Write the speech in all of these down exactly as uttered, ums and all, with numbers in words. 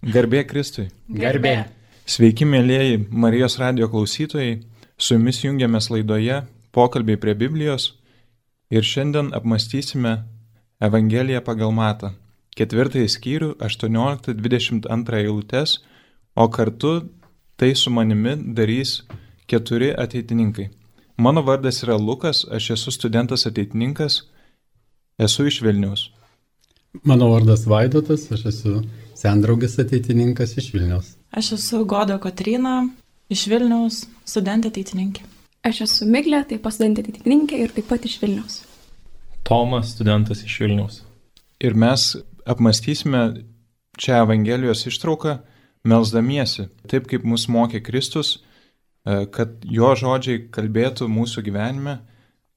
Garbė Kristui. Garbė. Sveiki, mėlyjeji Marijos radijo klausytojai. Su jumis jungiamės laidoje Pokalbiai prie Biblijos ir šiandien apmąstysime Evangeliją pagal Matą, ketvirtąjį skyrių, aštuonioliktą dvidešimt antrą eilutes, o kartu tai su manimi darys keturi ateitininkai. Mano vardas yra Lukas, aš esu studentas ateitininkas, esu iš Vilniaus. Mano vardas Vaidotas, aš esu sendraugis ateitininkas iš Vilniaus. Aš esu Goda Kotryna, iš Vilniaus, studentė ateitininkė. Aš esu Miglė, taip pat studentė ateitininkė ir taip pat iš Vilniaus. Tomas, studentas iš Vilniaus. Ir mes apmąstysime čia Evangelijos ištrauką, melsdamiesi, taip kaip mus mokė Kristus, kad jo žodžiai kalbėtų mūsų gyvenime,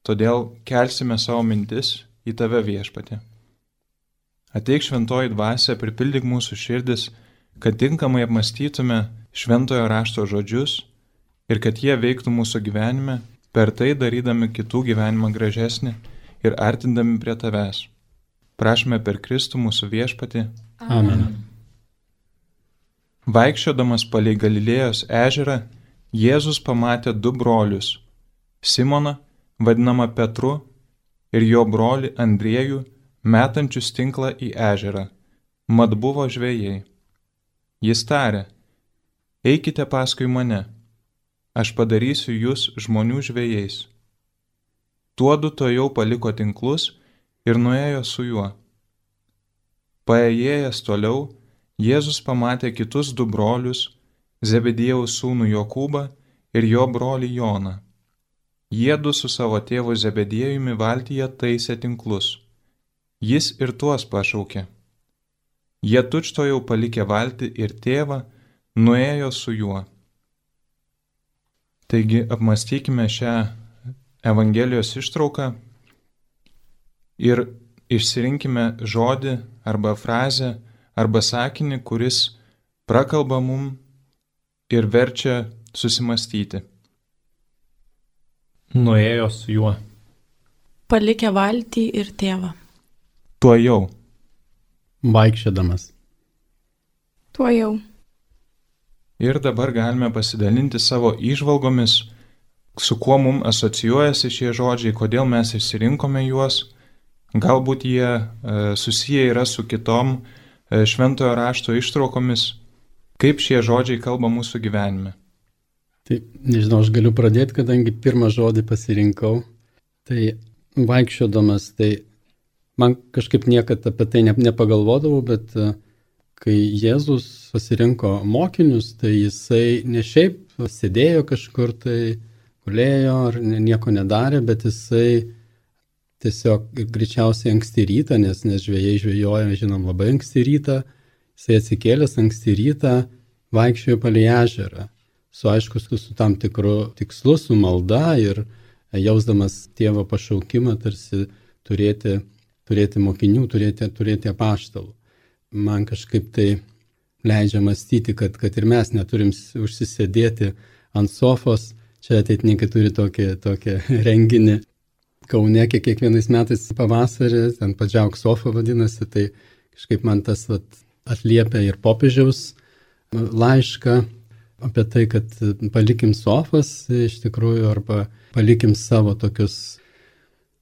todėl kelsime savo mintis į tave, Viešpatie. Ateik šventoji dvasia, pripildyk mūsų širdis, kad tinkamai apmąstytume šventojo rašto žodžius ir kad jie veiktų mūsų gyvenime, per tai darydami kitų gyvenimą gražesnį ir artindami prie tavęs. Prašome per Kristų mūsų Viešpatį. Amen. Vaikščiodamas palei Galilėjos ežerą, Jėzus pamatė du brolius – Simoną, vadinamą Petru, ir jo brolį Andriejų, metančius tinklą į ežerą, mat buvo žvejai. Jis tarė, eikite paskui mane, aš padarysiu jūs žmonių žvejais. Tuodu tojau paliko tinklus ir nuėjo su juo. Paėjėjęs toliau, Jėzus pamatė kitus du brolius, Zebediejaus sūnų Jokūbą ir jo brolį Joną. Jiedu su savo tėvu Zebediejumi valtyje taisė tinklus. Jis ir tuos pašaukė. Jie tučtojau palikę valtį ir tėvą, nuėjo su juo. Taigi apmąstykime šią Evangelijos ištrauką ir išsirinkime žodį arba frazę arba sakinį, kuris prakalba mum ir verčia susimastyti. Nuėjo su juo. Palikę valtį ir tėvą. Tuojau. Vaikščiodamas. Tuojau. Ir dabar galime pasidalinti savo įžvalgomis, su kuo mums asocijuojasi šie žodžiai, kodėl mes išsirinkome juos. Galbūt jie e, susiję yra su kitom e, šventojo rašto ištraukomis, kaip šie žodžiai kalba mūsų gyvenime. Tai nežinau, aš galiu pradėti, kadangi pirmą žodį pasirinkau. Tai vaikščiodamas, tai man kažkaip niekad apie tai nepagalvodavau, bet kai Jėzus pasirinko mokinius, tai jisai ne šiaip sėdėjo kažkur, tai gulėjo ar nieko nedarė, bet jisai tiesiog greičiausiai anksti rytą, nes, nes žvejai žvejoja, žinom, labai anksti rytą, jisai atsikėlęs anksti rytą vaikščiojo palei ežerą, su aišku, su, su tam tikru tikslu, su malda ir jausdamas tėvo pašaukimą tarsi turėti, turėti mokinių, turėti, turėti apaštalų. Man kažkaip tai leidžia mąstyti, kad, kad ir mes neturim užsisėdėti ant sofos. Čia ateitininkai turi tokį, tokį renginį Kaune, kiek kiekvienais metais pavasarį, ten Padžiauk sofa vadinasi, tai kažkaip man tas vat, atliepia ir popiežiaus laišką apie tai, kad palikim sofas iš tikrųjų, arba palikim savo tokius,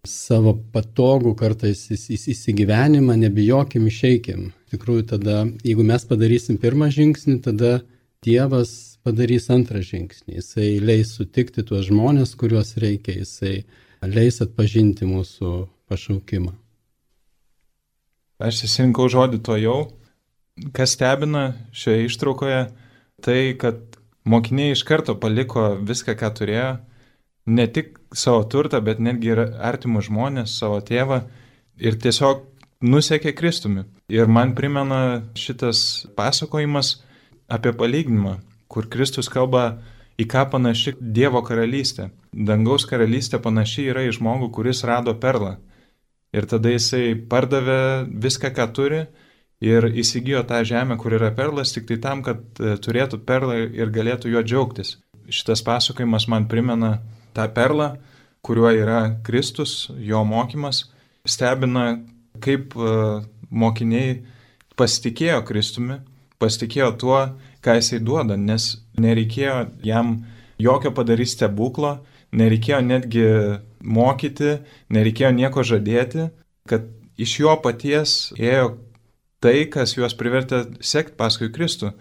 savo patogų kartais įsigyvenimą, nebijokim, išeikim. Iš tikrųjų tada, jeigu mes padarysim pirmą žingsnį, tada Dievas padarys antrą žingsnį. Jisai leis sutikti tuos žmonės, kuriuos reikia, jisai leis atpažinti mūsų pašaukimą. Aš įsirinkau žodį tuojau. Kas stebina šioje ištraukoje, tai kad mokiniai iš karto paliko viską, ką turėjo, ne tik savo turtą, bet netgi ir artimus žmonės, savo tėvą, ir tiesiog nusekė Kristumi. Ir man primena šitas pasakojimas apie palyginimą, kur Kristus kalba, į ką panaši Dievo karalystė. Dangaus karalystė panaši yra į žmogų, kuris rado perlą. Ir tada jisai pardavė viską, ką turi, ir įsigijo tą žemę, kur yra perlas, tik tai tam, kad turėtų perlą ir galėtų juo džiaugtis. Šitas pasakojimas man primena tą perlą, kuriuo yra Kristus, jo mokymas. Stebina, kaip mokiniai pasitikėjo Kristumi, pasitikėjo tuo, ką jisai duoda, nes nereikėjo jam jokio padaryti stebuklo, nereikėjo netgi mokyti, nereikėjo nieko žadėti, kad iš jo paties ėjo tai, kas juos privertė sekti paskui Kristų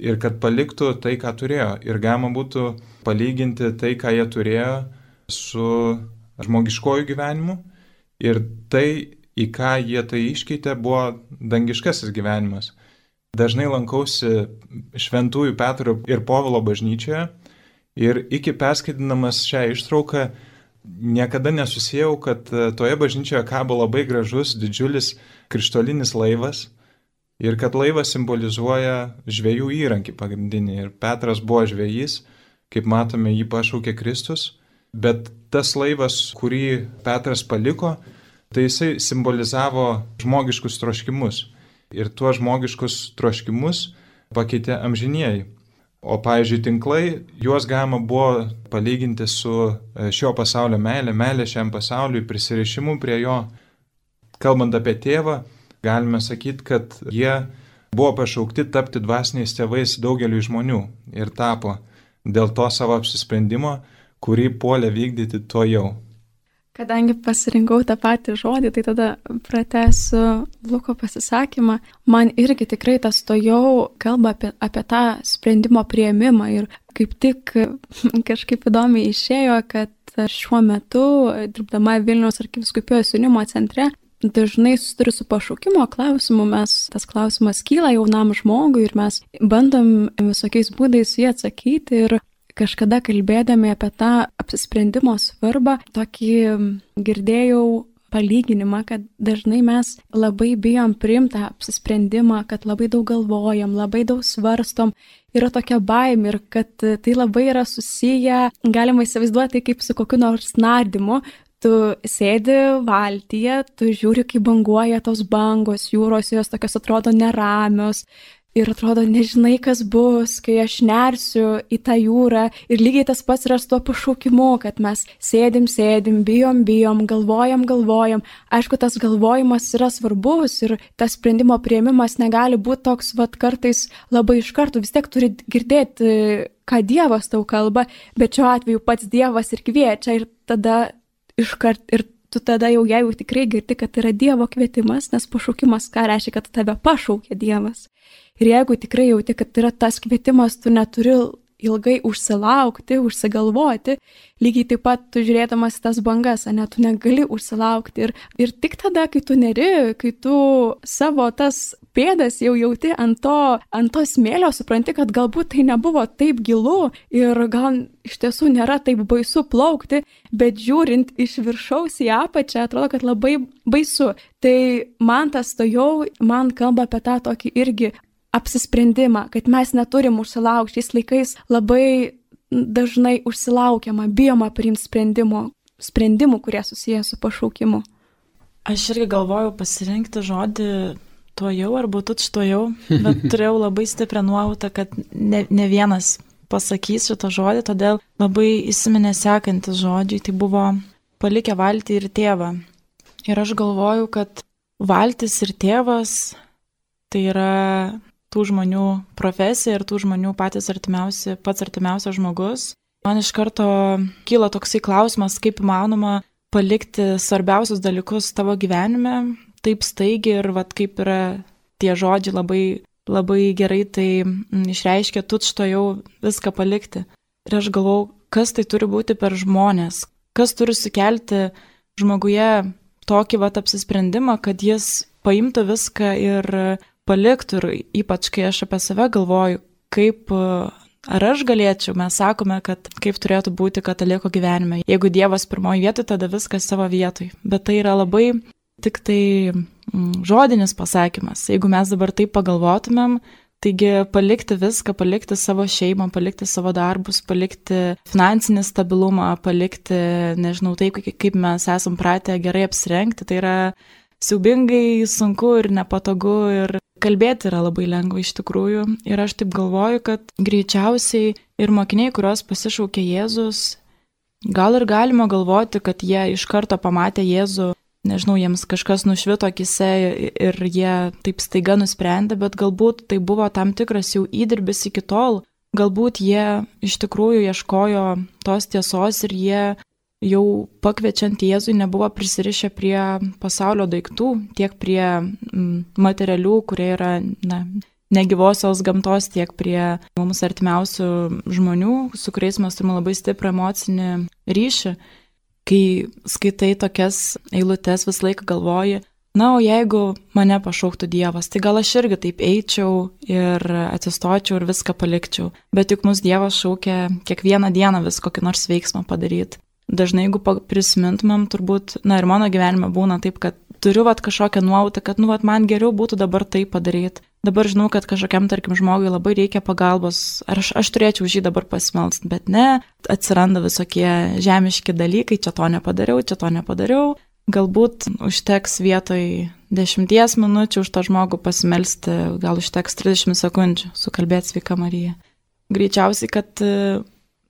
ir kad paliktų tai, ką turėjo. Ir galima būtų palyginti tai, ką jie turėjo su žmogiškoju gyvenimu ir tai, į ką jie tai iškeitė, buvo dangiškasis gyvenimas. Dažnai lankausi Šventųjų Petro ir Povilo bažnyčioje ir iki perskaitinamas šią ištrauką niekada nesusijau, kad toje bažnyčioje kabo labai gražus, didžiulis krištolinis laivas ir kad laivas simbolizuoja žvejų įrankį pagrindinį. Ir Petras buvo žvejys, kaip matome, jį pašaukė Kristus, bet tas laivas, kurį Petras paliko, tai jisai simbolizavo žmogiškus troškimus. Ir tuos žmogiškus troškimus pakeitė amžinieji. O, pavyzdžiui, tinklai, juos galima buvo palyginti su šio pasaulio meilė, meilė šiam pasauliui, prisirišimu prie jo. Kalbant apie tėvą, galime sakyti, kad jie buvo pašaukti tapti dvasiniais tėvais daugeliu žmonių ir tapo dėl to savo apsisprendimo, kurį puolė vykdyti to jau. Kadangi pasirinkau tą patį žodį, tai tada pratęsiu Luko pasisakymą. Man irgi tikrai tas to jau kalba apie, apie tą sprendimo priėmimą ir kaip tik kažkaip įdomiai išėjo, kad šiuo metu, dirbdama Vilniaus arkivyskupijos jaunimo centre, dažnai susiduriu su pašaukimo klausimu, mes tas klausimas kyla jaunam žmogui ir mes bandom visokiais būdais jį atsakyti ir kažkada kalbėdami apie tą apsisprendimo svarbą, tokį girdėjau palyginimą, kad dažnai mes labai bijom priimti apsisprendimą, kad labai daug galvojam, labai daug svarstom, yra tokia baimė ir kad tai labai yra susiję, galima įsivaizduoti kaip su kokiu nors nardymu. Tu sėdi valtyje, tu žiūri, kaip banguoja tos bangos, jūros, jos tokios atrodo neramios. Ir atrodo, nežinai, kas bus, kai aš nersiu į tą jūrą. Ir lygiai tas pats yra su tuo pašaukimu, kad mes sėdim, sėdim, bijom, bijom, galvojam, galvojam. Aišku, tas galvojimas yra svarbus ir tas sprendimo priėmimas negali būti toks, vat, kartais labai iš karto. Vis tiek turi girdėti, ką Dievas tau kalba, bet šiuo atveju pats Dievas ir kviečia ir tada iškart ir tu tada jau jeigu tikrai girdi, kad yra Dievo kvietimas, nes pašaukimas ką reiškia, kad tave pašaukė Dievas. Ir jeigu tikrai jauti, kad yra tas kvietimas, tu neturi ilgai užsilaukti, užsigalvoti, lygiai taip pat tu žiūrėdamas tas bangas, ane, tu negali užsilaukti. Ir, ir tik tada, kai tu neri, kai tu savo tas pėdas jau jauti ant to, ant to smėlio, supranti, kad galbūt tai nebuvo taip gilu ir gal iš tiesų nėra taip baisu plaukti, bet žiūrint iš viršaus į apačią, atrodo, kad labai baisu. Tai man tas stojau, man kalba apie tą tokį irgi apsisprendimą, kad mes neturim užsilaukti. Šiais laikais labai dažnai užsilaukiama, bijoma priimti sprendimų, sprendimų, kurie susiję su pašaukimu. Aš irgi galvojau pasirinkti žodį tuojau arba tučtuojau, bet turėjau labai stiprią nuojautą, kad ne, ne vienas pasakys šitą žodį, todėl labai įsiminė sekantis žodžiai, tai buvo palikę valtį ir tėvą. Ir aš galvoju, kad valtis ir tėvas tai yra tų žmonių profesija ir tų žmonių patys artimiausi, pats artimiausias žmogus. Man iš karto kyla toksai klausimas, kaip įmanoma palikti svarbiausius dalykus tavo gyvenime, taip staigiai ir vat, kaip yra tie žodžiai labai, labai gerai tai išreiškia, tučtuojau viską palikti. Ir aš galvau, kas tai turi būti per žmonės, kas turi sukelti žmoguje tokį vat apsisprendimą, kad jis paimtų viską ir paliktų. Ir ypač, kai aš apie save galvoju, kaip, ar aš galėčiau, mes sakome, kad kaip turėtų būti kataliko gyvenime. Jeigu Dievas pirmoji vietoj, tada viskas savo vietoj. Bet tai yra labai tik tai mm, žodinis pasakymas. Jeigu mes dabar taip pagalvotumėm, taigi palikti viską, palikti savo šeimą, palikti savo darbus, palikti finansinį stabilumą, palikti, nežinau, taip, kaip mes esam pratę gerai apsirengti, tai yra siaubingai sunku ir nepatogu ir kalbėti yra labai lengva iš tikrųjų. Ir aš taip galvoju, kad greičiausiai ir mokiniai, kurios pasišaukė Jėzus, gal ir galima galvoti, kad jie iš karto pamatė Jėzų nežinau, jiems kažkas nušvito akise ir jie taip staiga nusprendė, bet galbūt tai buvo tam tikras jau įdirbis iki tol, galbūt jie iš tikrųjų ieškojo tos tiesos ir jie jau pakviečiant Jėzui nebuvo prisirišę prie pasaulio daiktų, tiek prie materialių, kurie yra na, negyvosios gamtos, tiek prie mums artimiausių žmonių, su kuriais mes turime labai stiprų emocinį ryšį. Kai skaitai tokias eilutes, visą laiką galvoji, na, o jeigu mane pašauktų Dievas, tai gal aš irgi taip eičiau ir atsistočiau ir viską palikčiau. Bet juk mus Dievas šaukia kiekvieną dieną vis kokį nors veiksmą padaryti. Dažnai, jeigu prisimintumėm, turbūt, na ir mano gyvenime būna taip, kad turiu vat kažkokią nuojautą, kad, nu, vat man geriau būtų dabar tai padaryti. Dabar žinau, kad kažkokiam, tarkim, žmogui labai reikia pagalbos, ar aš, aš turėčiau už jį dabar pasimelsti, bet ne, atsiranda visokie žemiški dalykai, čia to nepadariau, čia to nepadariau. Galbūt užteks vietoj dešimties minučių už tą žmogų pasimelsti, gal užteks trisdešimt sekundžių sukalbėti sveika Marija. Greičiausiai, kad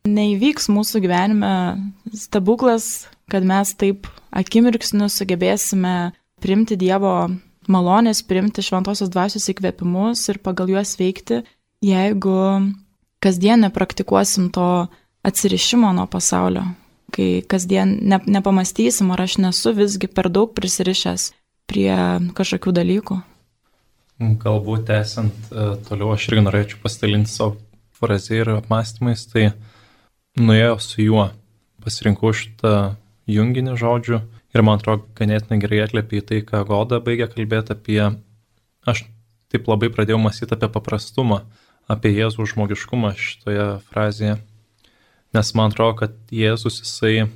neįvyks mūsų gyvenime stebuklas, kad mes taip akimirksniu sugebėsime priimti Dievo malonės, priimti šventosios dvasios įkvėpimus ir pagal juos veikti, jeigu kasdien nepraktikuosim to atsirišimo nuo pasaulio, kai kasdien ne, nepamastysim, ar aš nesu visgi per daug prisirišęs prie kažkokių dalykų. Galbūt tęsiant toliau, aš irgi norėčiau pasidalinti savo frazę ir apmąstymais, tai nuėjo su juo, pasirinkau šitą junginį žodžių ir man atrodo ganėtinai gerai atliepia į tai, ką Goda baigė kalbėti apie, aš taip labai pradėjau mąstyti apie paprastumą, apie Jėzų žmogiškumą šitoje frazėje, nes man atrodo, kad Jėzus jisai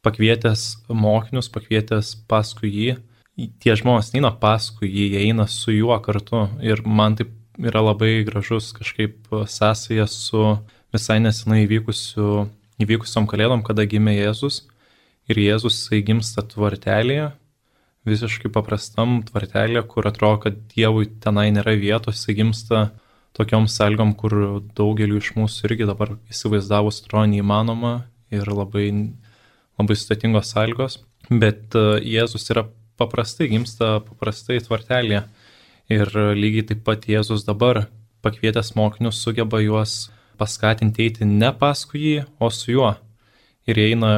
pakvietęs mokinius, pakvietęs paskui jį, tie žmonės neina paskui jį, jie eina su juo kartu ir man taip yra labai gražus kažkaip sąsaja su visai nesenai įvykusiu, įvykusiom kalėdom, kada gimė Jėzus. Ir Jėzus jisai gimsta tvartelėje, visiškai paprastam tvartelėje, kur atrodo, kad Dievui tenai nėra vietos, jisai gimsta tokiom sąlygom, kur daugeliu iš mūsų irgi dabar įsivaizdavus atrodo neįmanoma ir labai, labai sudėtingos sąlygos. Bet Jėzus yra paprastai, gimsta paprastai tvartelėje. Ir lygiai taip pat Jėzus dabar pakvietęs mokinius sugeba juos paskatinti eiti ne paskui jį, o su juo. Ir eina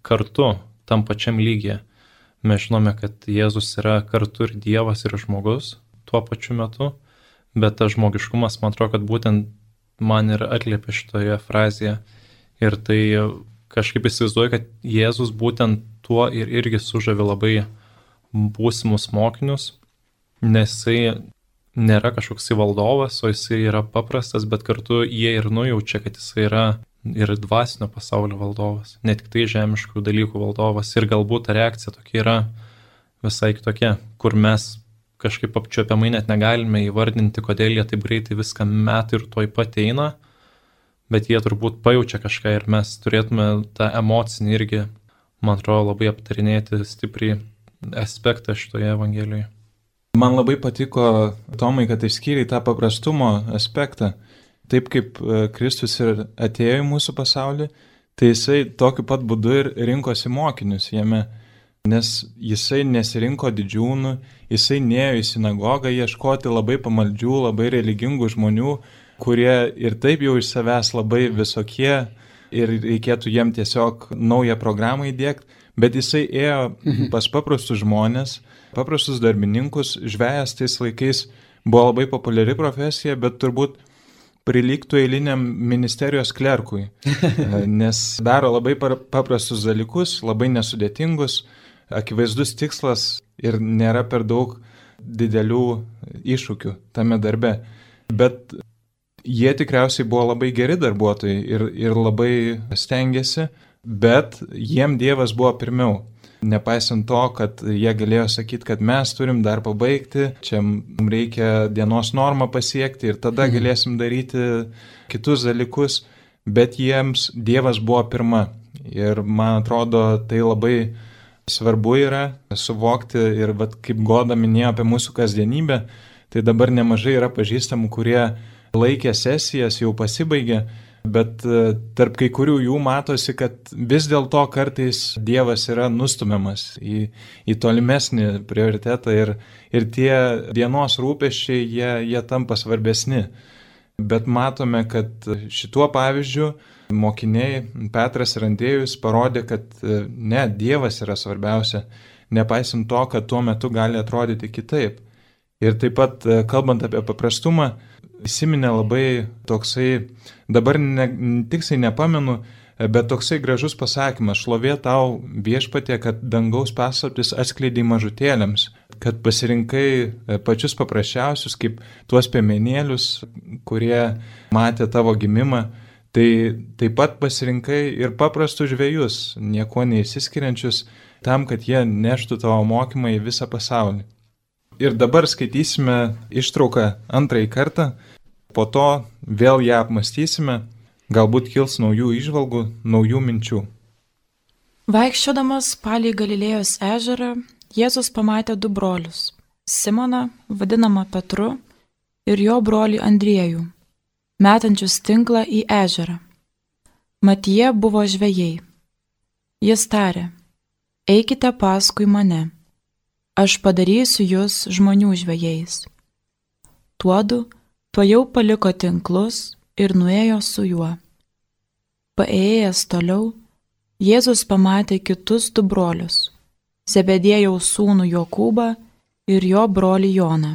kartu tam pačiam lygyje. Mes žinome, kad Jėzus yra kartu ir Dievas, ir žmogus tuo pačiu metu, bet tas žmogiškumas, man atrodo, kad būtent man ir atliepia šitoje frazėje. Ir tai kažkaip įsivaizduoju, kad Jėzus būtent tuo ir irgi sužavi labai būsimus mokinius, nes jisai nėra kažkoks valdovas, o jisai yra paprastas, bet kartu jie ir nujaučia, kad jisai yra ir dvasinio pasaulio valdovas, ne tik tai žemiškų dalykų valdovas. Ir galbūt ta reakcija tokia yra visai kitokia, kur mes kažkaip apčiuopiamai net negalime įvardinti, kodėl jie taip greitai viską metą ir tuoj pat eina, bet jie turbūt pajaučia kažką ir mes turėtume tą emocinį irgi, man atrodo, labai aptarinėti stipriai aspektą šitoje Evangelijoje. Man labai patiko, Tomai, kad išskyrei tą paprastumo aspektą. Taip kaip Kristus ir atėjo į mūsų pasaulį, tai jisai tokiu pat būdu ir rinkosi mokinius jame, nes jisai nesirinko didžiūnų, jisai nėjo į sinagogą ieškoti labai pamaldžių, labai religingų žmonių, kurie ir taip jau iš savęs labai visokie ir reikėtų jiem tiesiog naują programą įdėkti, bet jisai ėjo pas paprastus žmonės, paprastus darbininkus. Žvejas tais laikais buvo labai populiari profesija, bet turbūt prilygtų eiliniam ministerijos klerkui, nes daro labai paprastus dalykus, labai nesudėtingus, akivaizdus tikslas ir nėra per daug didelių iššūkių tame darbe. Bet jie tikriausiai buvo labai geri darbuotojai ir, ir labai stengiasi, bet jiem Dievas buvo pirmiau. Nepaisant to, kad jie galėjo sakyti, kad mes turim dar pabaigti, čia mums reikia dienos normą pasiekti ir tada galėsim daryti kitus dalykus, bet jiems Dievas buvo pirma. Ir man atrodo, tai labai svarbu yra suvokti ir vat, kaip Goda minėjo apie mūsų kasdienybę, tai dabar nemažai yra pažįstamų, kurie laikė sesijas, jau pasibaigė, bet tarp kai kurių jų matosi, kad vis dėlto kartais Dievas yra nustumiamas į, į tolimesnį prioritetą ir, ir tie dienos rūpesčiai, jie, jie tampa svarbesni. Bet matome, kad šituo pavyzdžiu mokiniai Petras ir Andriejus parodė, kad ne, Dievas yra svarbiausia, nepaisant to, kad tuo metu gali atrodyti kitaip. Ir taip pat, kalbant apie paprastumą, įsiminė labai toksai, dabar ne, tiksliai nepamenu, bet toksai gražus pasakymas: šlovė tau viešpatie, kad dangaus paslaptis atskleidai mažutėliams, kad pasirinkai pačius paprasčiausius, kaip tuos piemenėlius, kurie matė tavo gimimą. Tai taip pat pasirinkai ir paprastus žvejus, nieko neįsiskiriančius, tam, kad jie neštų tavo mokymą į visą pasaulį. Ir dabar skaitysime ištrauką antrąjį kartą, po to vėl ją apmąstysime, galbūt kils naujų įžvalgų, naujų minčių. Vaikščiodamas palei Galilėjos ežerą, Jėzus pamatė du brolius - Simoną, vadinamą Petru, ir jo brolį Andriejų, metančius tinklą į ežerą. Mat jie buvo žvejai. Jis tarė: eikite paskui mane, aš padarysiu jūs žmonių žvejais. Tuodu tuojau paliko tinklus ir nuėjo su juo. Paėjęs toliau, Jėzus pamatė kitus du brolius - Zebediejaus sūnų Jokūbą ir jo brolį Joną.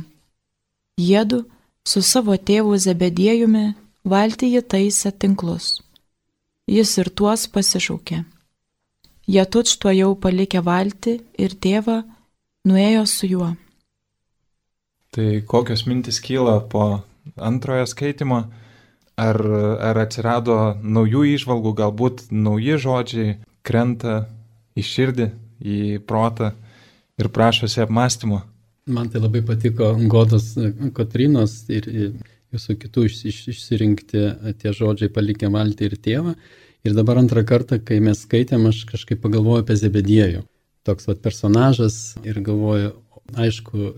Jiedu su savo tėvu Zebediejumi valtyje taisė tinklus. Jis ir tuos pasišaukė. Jie tučtuojau palikę valtį ir tėvą nuėjo su juo. Tai kokios mintis kyla po antrojo skaitimo? Ar, ar atsirado naujų įžvalgų, galbūt nauji žodžiai krenta į širdį, į protą ir prašosi apmąstymo? Man tai labai patiko Godos Kotrynos ir jūsų kitų išsirinkti tie žodžiai palikę valtį ir tėvą. Ir dabar antrą kartą, kai mes skaitėm, aš kažkaip pagalvoju apie Zebediejų. Toks vat personažas ir galvoju, aišku,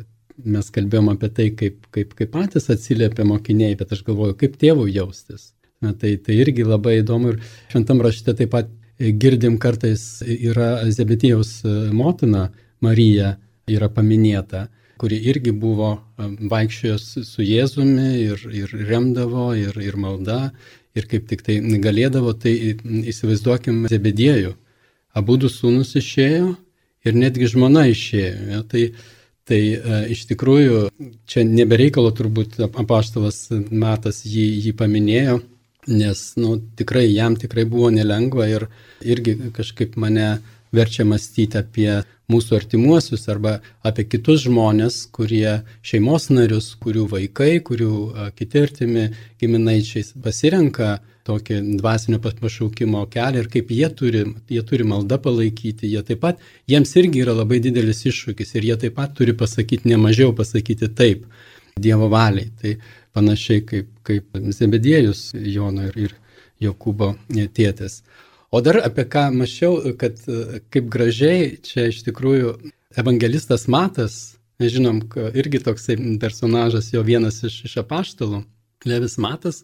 mes kalbėjom apie tai, kaip, kaip, kaip patys atsiliepia mokiniai, bet aš galvoju, kaip tėvų jaustis. Na, tai, tai irgi labai įdomu ir šventam rašte taip pat girdim kartais yra Zebediejaus motina Marija yra paminėta, kuri irgi buvo vaikščiojo su Jėzumi ir, ir remdavo, ir, ir malda, ir kaip tik tai galėdavo, tai įsivaizduokim Zebediejų. Abu du sūnus išėjo ir netgi žmona išėjo. Ja, tai tai e, iš tikrųjų čia nebereikalo turbūt apaštalas Matas jį, jį paminėjo, nes nu, tikrai jam tikrai buvo nelengva ir irgi kažkaip mane verčia mąstyti apie mūsų artimuosius arba apie kitus žmonės, kurie šeimos narius, kurių vaikai, kurių a, kiti artimi giminaičiai pasirenka tokį dvasinio pašaukimo kelią ir kaip jie turi, jie turi maldą palaikyti, jie taip pat, jiems irgi yra labai didelis iššūkis ir jie taip pat turi pasakyti, nemažiau pasakyti taip Dievo valiai. Tai panašiai kaip, kaip Zebediejus Jono ir, ir Jokūbo tėtis. O dar apie ką mačiau, kad kaip gražiai čia iš tikrųjų evangelistas Matas, žinom, irgi toksai personažas, jo vienas iš, iš apaštalų, Levis Matas,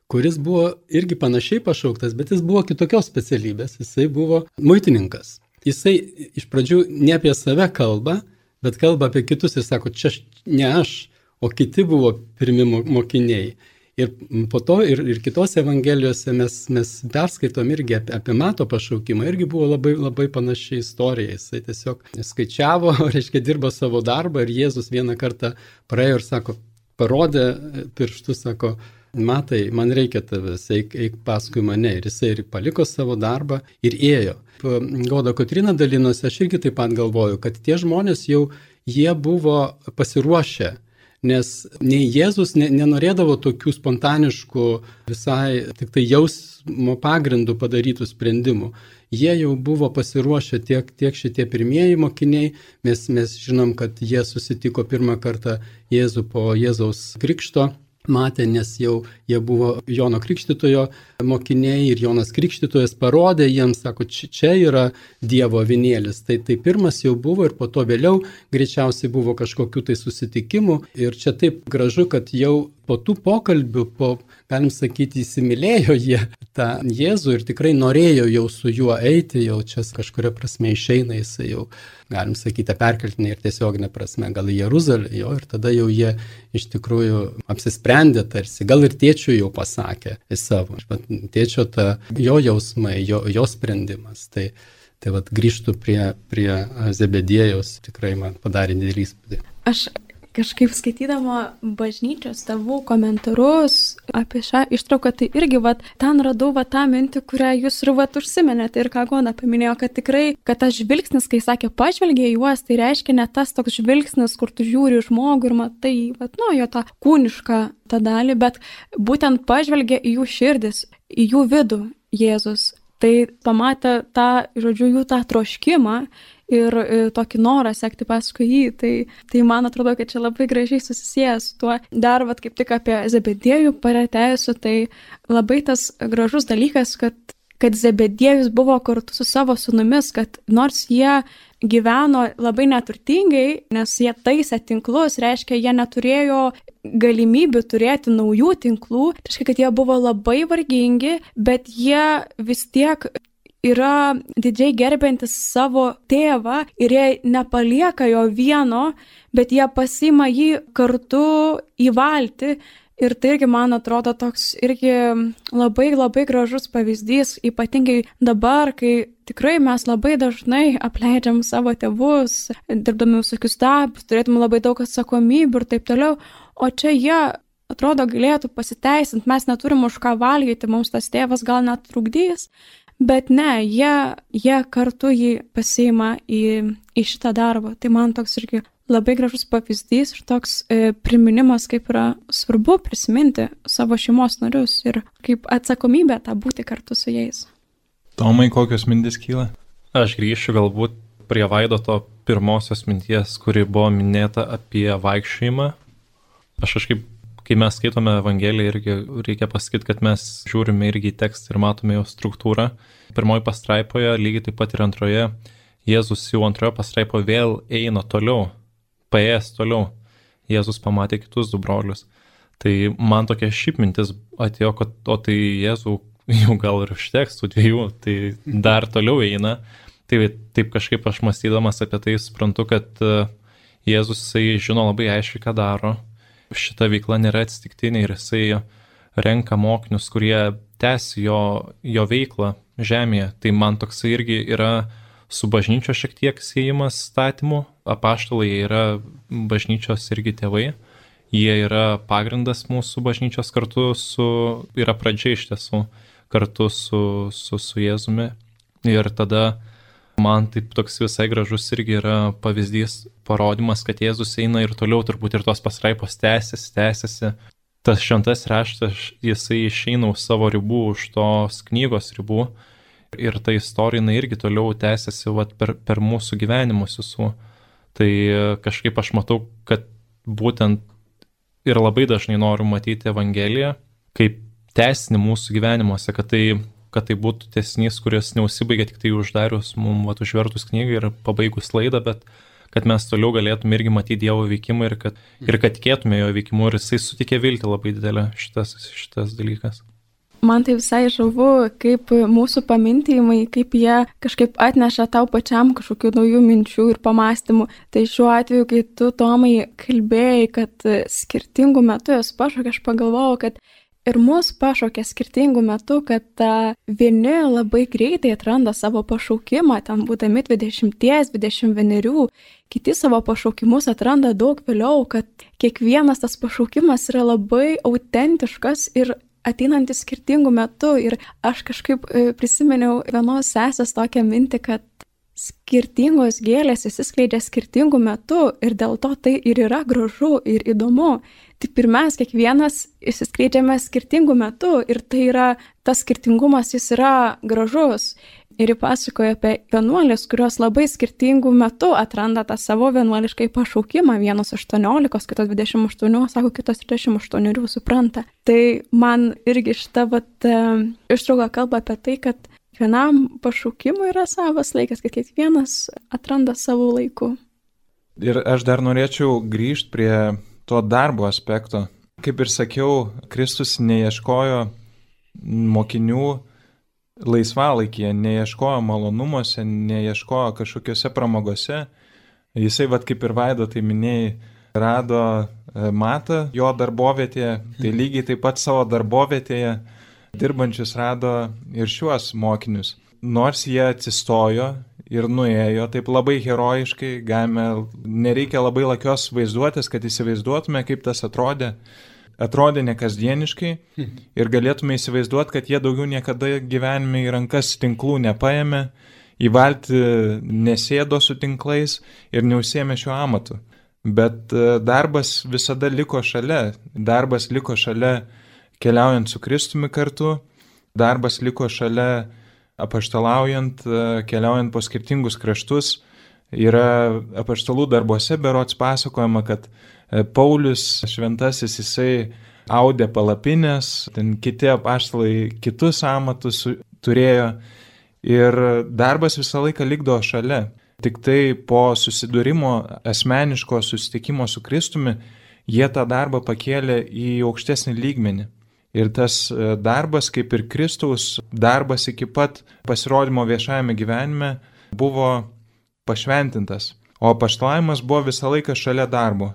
kuris buvo irgi panašiai pašauktas, bet jis buvo kitokios specialybės, jisai buvo muitininkas. Jisai iš pradžių ne apie save kalba, bet kalba apie kitus ir sako, čia ne aš, o kiti buvo pirmi mokiniai. Ir po to ir, ir kitose evangelijose mes, mes perskaitom irgi apie, apie Mato pašaukimą, irgi buvo labai, labai panaši istorija. Jisai tiesiog skaičiavo, reiškia, dirbo savo darbą ir Jėzus vieną kartą praėjo ir sako, parodė pirštų, sako, Matai, man reikia tavęs, eik, eik paskui mane. Ir jisai ir paliko savo darbą ir ėjo. Goda Kotryna dalinosi, aš irgi taip pat galvoju, kad tie žmonės jau, jie buvo pasiruošę, nes nei Jėzus ne, nenorėdavo tokių spontaniškų, visai tik tai jausmo pagrindų padarytų sprendimų. Jie jau buvo pasiruošę tiek, tiek šitie pirmieji mokiniai, mes, mes žinom, kad jie susitiko pirmą kartą Jėzų po Jėzaus krikšto. matė, nes jau jie buvo Jono Krikštytojo mokiniai ir Jonas Krikštytojas parodė jiems, sako, čia yra Dievo avinėlis. Tai, tai pirmas jau buvo ir po to vėliau greičiausiai buvo kažkokių tai susitikimų. Ir čia taip gražu, kad jau po tų pokalbių, po, galim sakyti, įsimylėjo jie tą Jėzų ir tikrai norėjo jau su juo eiti, jau čia kažkuria prasme išeina jisai jau, galim sakyti, perkeltinė ir tiesioginė prasme, gal į Jeruzalę, jo, ir tada jau jie iš tikrųjų apsisprendė tarsi, gal ir tėčiui jau pasakė į savo, bet tėčio ta jo jausmai, jo, jo sprendimas. Tai, tai vat grįžtų prie, prie Zebediejaus, tikrai man padarė didelį įspūdį. Aš kažkaip skaitydama bažnyčios tėvų komentarus apie šią ištrauką, tai irgi vat, ten radau vat, tą mintį, kurią jūs ir vat, užsimenėte ir ką Gona paminėjo, kad tikrai, kad tas žvilgsnis, kai sakė pažvelgė į juos, tai reiškia ne tas toks žvilgsnis, kur tu žiūri žmogų ir matai, vat, nu, jo tą kūnišką tą dalį, bet būtent pažvelgė į jų širdis, į jų vidų Jėzus. Tai pamatė tą, žodžiu, jų tą troškimą ir tokį norą sekti paskui jį. Tai, tai man atrodo, kad čia labai gražiai susisieja su tuo. Dar vat, kaip tik apie Zebediejų paretėjusiu, tai labai tas gražus dalykas, kad, kad Zebediejus buvo kartu su savo sūnumis, kad nors jie gyveno labai neturtingai, nes jie taisė tinklus, reiškia, jie neturėjo galimybių turėti naujų tinklų, tai reiškia, kad jie buvo labai vargingi, bet jie vis tiek yra didžiai gerbiantis savo tėvą ir jie nepalieka jo vieno, bet jie pasiima jį kartu į valtį. Ir tai irgi, man atrodo, toks irgi labai labai gražus pavyzdys, ypatingai dabar, kai tikrai mes labai dažnai apleidžiam savo tėvus, dirbdami visokius darbus, turėtume labai daug atsakomybių ir taip toliau, o čia jie, atrodo, galėtų pasiteisinti, mes neturim už ką valgyti, mums tas tėvas gal net trukdys, bet ne, jie, jie kartu jį pasiima į, į šitą darbą. Tai man toks irgi labai gražus pavyzdys ir toks e, priminimas, kaip yra svarbu prisiminti savo šeimos narius ir kaip atsakomybė tą būti kartu su jais. Tomai, kokios mintis kyla? Aš grįšiu galbūt prie Vaidoto pirmosios minties, kuri buvo minėta apie vaikščiojimą. Aš kažkaip, kai mes skaitome Evangeliją, irgi reikia pasakyti, kad mes žiūrime irgi į tekstą ir matome jo struktūrą. Pirmoji pastraipoje, lygiai taip pat ir antroje, Jėzus jau antroje pastraipoje vėl eina toliau. Paėjęs toliau, Jėzus pamatė kitus du brolius. Tai man tokia šiaip mintis atėjo, kad o tai Jėzų jau gal ir užteks tų dviejų, tai dar toliau eina. Tai taip kažkaip aš mąstydamas apie tai suprantu, kad Jėzus jisai žino labai aiškiai, ką daro. Šita veikla nėra atsitiktinė ir jisai renka mokinius, kurie tęsi jo, jo veiklą žemėje. Tai man toksai irgi yra su bažnyčios šiek tiek siejimas statymų. Apaštalai yra bažnyčios irgi tėvai. Jie yra pagrindas mūsų bažnyčios kartu su, yra pradžia iš tiesų, kartu su, su, su Jėzumi. Ir tada man taip toks visai gražus irgi yra pavyzdys, parodimas, kad Jėzus eina ir toliau turbūt ir tos pasraipos tęsiasi, tęsiasi. Tas šventas raštas, jisai išeina už savo ribų, už tos knygos ribų. Ir ta istorija irgi toliau tęsiasi vat, per, per mūsų gyvenimus visų. Tai kažkaip aš matau, kad būtent ir labai dažnai noriu matyti Evangeliją kaip tęsinį mūsų gyvenimuose, kad tai, kad tai būtų tęsinys, kuris neužsibaigia tik tai uždarius, mums vat, užvertus knygą ir pabaigus laidą, bet kad mes toliau galėtume irgi matyti Dievo veikimą ir kad, ir kad tikėtume jo veikimu ir jisai sutikė viltį labai didelę šitas, šitas dalykas. Man tai visai žavu, kaip mūsų pamintymai, kaip jie kažkaip atneša tau pačiam kažkokių naujų minčių ir pamastymų. Tai šiuo atveju, kai tu, Tomai, kalbėjai, kad skirtingų metų jos pašaukė, aš pagalvojau, kad ir mus pašaukė skirtingų metų, kad vieni labai greitai atranda savo pašaukimą, ten būdami dvidešimt, dvidešimt vienerių, kiti savo pašaukimus atranda daug vėliau, kad kiekvienas tas pašaukimas yra labai autentiškas ir ateinantis skirtingų metų. Ir aš kažkaip prisiminiau vienos sesės tokią mintį, kad skirtingos gėlės įsiskleidžia skirtingų metų ir dėl to tai ir yra gražu ir įdomu. Taip ir mes kiekvienas įsiskleidžiame skirtingų metų ir tai yra, tas skirtingumas jis yra gražus. ir pasakoja apie vienuolės, kurios labai skirtingų metų atranda tą savo vienuoliškai pašaukimą. Vienos aštuoniolikos, kitos dvidešimt aštuonių, sako, kitos trisdešimt aštuonių supranta. Tai man irgi šita vat, ištrauka kalba apie tai, kad kiekvienam pašaukimui yra savas laikas, kad kiekvienas atranda savo laiku. Ir aš dar norėčiau grįžti prie to darbo aspekto. Kaip ir sakiau, Kristus neieškojo mokinių laisvalaikyje, neieškojo malonumuose, neieškojo kažkokiuose pramogose. Jisai, vat kaip ir Vaido, tai minėjai, rado Matą jo darbovietėje, tai lygiai taip pat savo darbovietėje dirbančius rado ir šiuos mokinius. Nors jie atsistojo ir nuėjo taip labai herojiškai, galime, nereikia labai lakios vaizduotės, kad įsivaizduotume, kaip tas atrodė. Atrodė nekasdieniškai ir galėtume įsivaizduoti, kad jie daugiau niekada gyvenime į rankas tinklų nepaėmė, į valtį nesėdo su tinklais ir neužsiėmė šiuo amatu. Bet darbas visada liko šalia, darbas liko šalia keliaujant su Kristumi kartu, darbas liko šalia apaštalaujant, keliaujant po skirtingus kraštus. Yra apaštalų darbuose berods pasakojama, kad Paulius šventasis, jisai audė palapinės, ten kiti apaštalai kitus amatus turėjo ir darbas visą laiką likdo šalia. Tik tai po susidūrimo, asmeniško susitikimo su Kristumi, jie tą darbą pakėlė į aukštesnį lygmenį. Ir tas darbas, kaip ir Kristaus darbas iki pat pasirodymo viešajame gyvenime, buvo pašventintas. O apaštalavimas buvo visą laiką šalia darbo,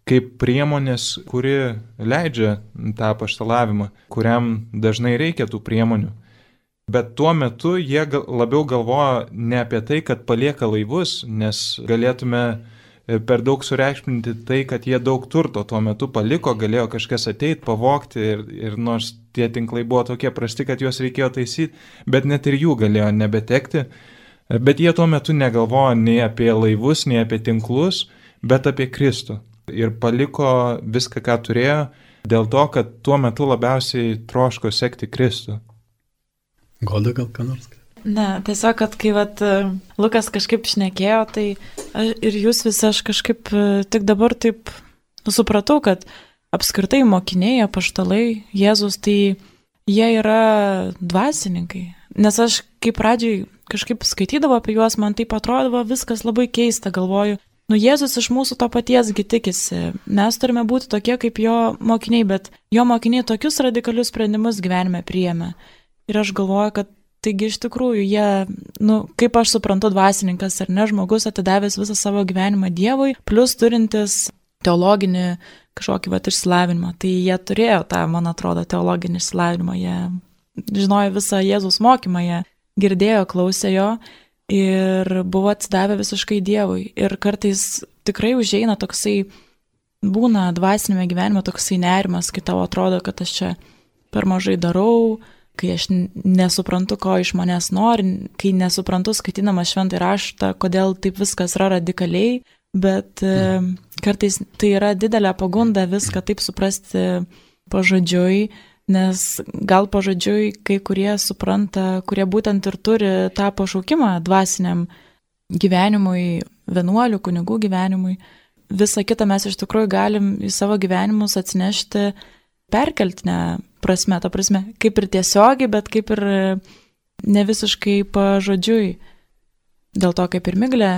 kaip priemonės, kuri leidžia tą apaštalavimą, kuriam dažnai reikia tų priemonių. Bet tuo metu jie labiau galvoja ne apie tai, kad palieka laivus, nes galėtume per daug sureikšminti tai, kad jie daug turto tuo metu paliko, galėjo kažkas ateiti, pavogti ir, ir nors tie tinklai buvo tokie prasti, kad juos reikėjo taisyti, bet net ir jų galėjo nebetekti. Bet jie tuo metu negalvojo nei apie laivus, nei apie tinklus, bet apie Kristų. Ir paliko viską, ką turėjo, dėl to, kad tuo metu labiausiai troško sekti Kristų. Goda gal ką nors? Ne, tiesiog, kad kai vat, Lukas kažkaip šnekėjo, tai ir jūs visi aš kažkaip tik dabar taip supratau, kad apskritai mokiniai, apaštalai, Jėzus, tai jie yra dvasininkai. Nes aš kaip pradžiai kažkaip skaitydavo apie juos, man taip atrodavo viskas labai keista, galvoju, nu Jėzus iš mūsų to patiesgi tikisi, mes turime būti tokie kaip jo mokiniai, bet jo mokiniai tokius radikalius sprendimus gyvenime priėmė. Ir aš galvoju, kad taigi iš tikrųjų jie, nu, kaip aš suprantu, dvasininkas ar ne, žmogus atidavęs visą savo gyvenimą Dievui, plus turintis teologinį kažkokį vat išsilavinimą. Tai jie turėjo tą, man atrodo, teologinį išsilavinimą, jie žinojo visą Jėzaus mokymą, jie girdėjo, klausė jo ir buvo atsidavę visiškai Dievui. Ir kartais tikrai užeina toksai, būna dvasinėme gyvenime toksai nerimas, kai tau atrodo, kad aš čia per mažai darau, kai aš nesuprantu, ko iš manęs nori, kai nesuprantu skaitydama šventąjį raštą, kodėl taip viskas yra radikaliai, bet mm. kartais tai yra didelė pagunda viską taip suprasti pažodžiui, nes gal pažodžiui kai kurie supranta, kurie būtent ir turi tą pašaukimą dvasiniam gyvenimui, vienuolių, kunigų gyvenimui. Visą kitą mes iš tikrųjų galim į savo gyvenimus atsinešti perkeltinę prasme, ta prasme, kaip ir tiesiogiai, bet kaip ir ne visiškai pažodžiui. Dėl to, kaip ir Miglė